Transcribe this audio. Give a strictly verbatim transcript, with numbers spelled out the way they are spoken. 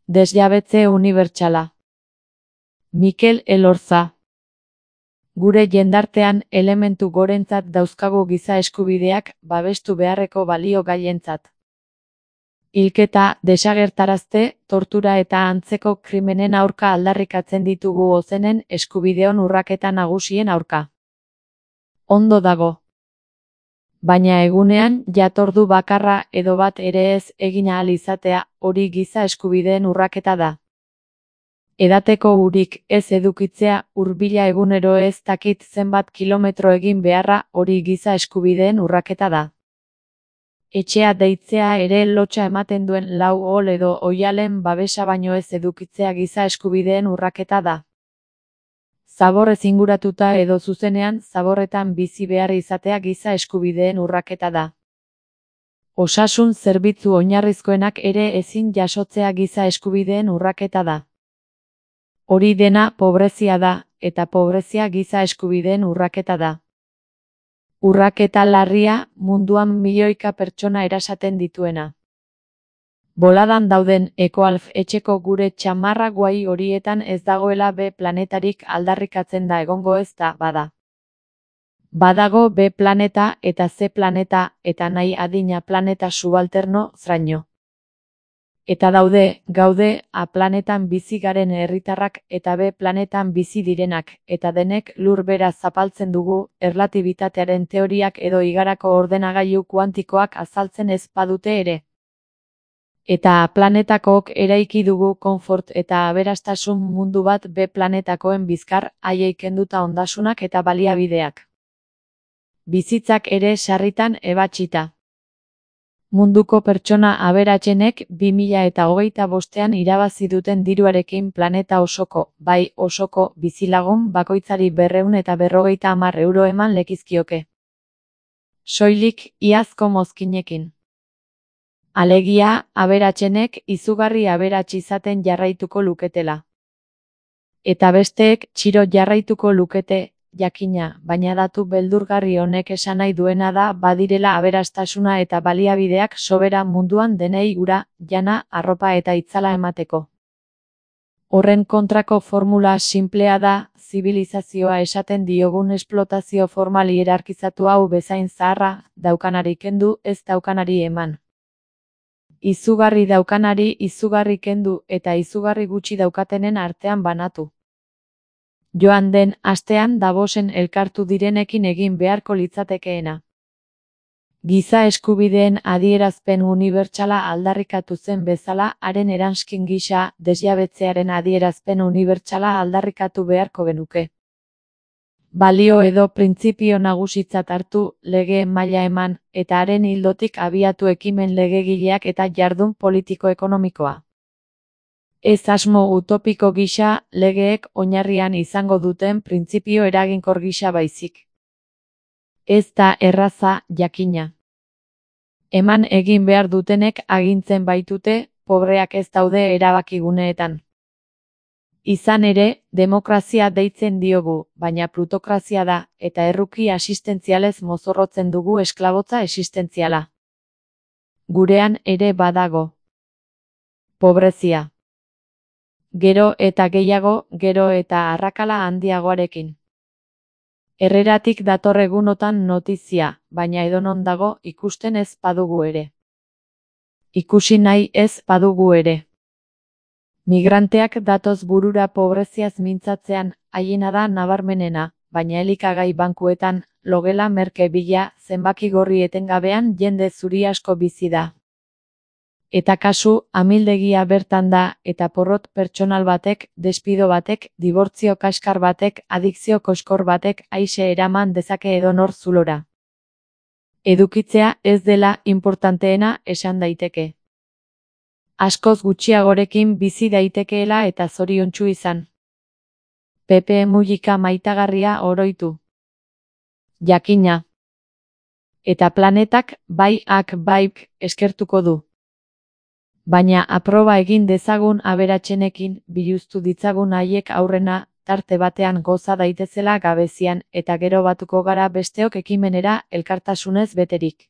Desjabetze unibertsala. Mikel Elorza. Gure jendartean elementu gorentzat dauzkagu giza eskubideak babestu beharreko balio gaientzat. Hilketa, desagertarazte, tortura eta antzeko krimenen aurka aldarrikatzen ditugu ozenen eskubideon urraketa nagusien aurka. Ondo dago. Baina egunean jatordu bakarra edo bat ere ez egin ahal izatea, hori giza eskubideen urraketa da. Edateko urik ez edukitzea, hurbila egunero ez dakit zenbat kilometro egin beharra, hori giza eskubideen urraketa da. Etxea deitzea ere lotsa ematen duen lau ol edo oihalen babesa baino ez edukitzea giza eskubideen urraketa da. Zaborrez inguratuta edo zuzenean zaborretan bizi behar izatea giza eskubideen urraketa da. Osasun zerbitzu oinarrizkoenak ere ezin jasotzea giza eskubideen urraketa da. Hori dena pobrezia da, eta pobrezia giza eskubideen urraketa da. Urraketa larria, munduan milioika pertsona erasaten dituena. Boladan dauden ekoalf etxeko gure txamarra guai horietan ez dagoela B planetarik aldarrikatzen da egongo ez da, bada. Badago B planeta eta C planeta eta nahi adina planeta subalterno zraino. Eta daude, gaude, A planetan bizi garen herritarrak eta B planetan bizi direnak, eta denek lur bera zapaltzen dugu, erlatibitatearen teoriak edo igarako ordenagailu kuantikoak azaltzen ez badute ere. Eta A planetakook eraiki dugu konfort eta aberastasun mundu bat B planetakoen bizkar, haiei kenduta ondasunak eta baliabideak. Bizitzak ere sarritan ebatsita. Munduko pertsona aberatsenek bi mila eta hogeita bostean irabazi duten diruarekin planeta osoko, bai osoko, bizilagun bakoitzari berrehun eta berrogeita hamar euro eman lekizkioke. Soilik, iazko mozkinekin. Alegia, aberatsenek izugarri aberats izaten jarraituko luketela. Eta besteek txiro jarraituko lukete, jakina, baina datu beldurgarri honek esan nahi duena da badirela aberastasuna eta baliabideak sobera munduan denei ura, jana, arropa eta itzala emateko. Horren kontrako formula sinplea da, zibilizazioa esaten diogun esplotazio formal hierarkizatu hau bezain zaharra, daukanari kendu, ez daukanari eman. Izugarri daukanari izugarri kendu eta izugarri gutxi daukatenen artean banatu. Joan den astean Davosen elkartu direnekin egin beharko litzatekeena. Giza eskubideen adierazpen unibertsala aldarrikatu zen bezala, haren eranskin gisa, desjabetzearen adierazpen unibertsala aldarrikatu beharko genuke. Balio edo printzipio nagusitzat hartu, lege maila eman, eta haren ildotik abiatu ekimen legegileak eta jardun politiko-ekonomikoa. Ez asmo utopiko gisa, legeek oinarrian izango duten printzipio eraginkor gisa baizik. Ez da erraza, jakina. Eman egin behar dutenek agintzen baitute, pobreak ez daude erabakiguneetan. Izan ere, demokrazia deitzen diogu, baina plutokrazia da, eta erruki asistentzialez mozorrotzen dugu esklabotza existentziala. Gurean ere badago. Pobrezia. Gero eta gehiago, gero eta arrakala handiagoarekin. Herreratik dator egunotan notizia, baina edonon dago ikusten ez badugu ere. Ikusi nahi ez badugu ere. Migranteak datoz burura pobreziaz mintzatzean, haiena da nabarmenena, baina elikagai bankuetan, logela merke bila, zenbaki gorri etengabean jende zuri asko bizi da. Eta kasu, amildegia bertan da, eta porrot pertsonal batek, despido batek, dibortzio kaskar batek, adikzio koskor batek, aise eraman dezake edonor zulora. Edukitzea ez dela inportanteena esan daiteke. Askoz gutxiagorekin bizi daitekeela eta zoriontsu izan. Pepe Mujica maitagarria oroitu. Jakina. Eta planetak bai ak baik eskertuko du. Baina aproba egin dezagun aberatsenekin, biluztu ditzagun haiek aurrena, tarte batean goza daitezela gabezian, eta gero batuko gara besteok ekimenera elkartasunez beterik.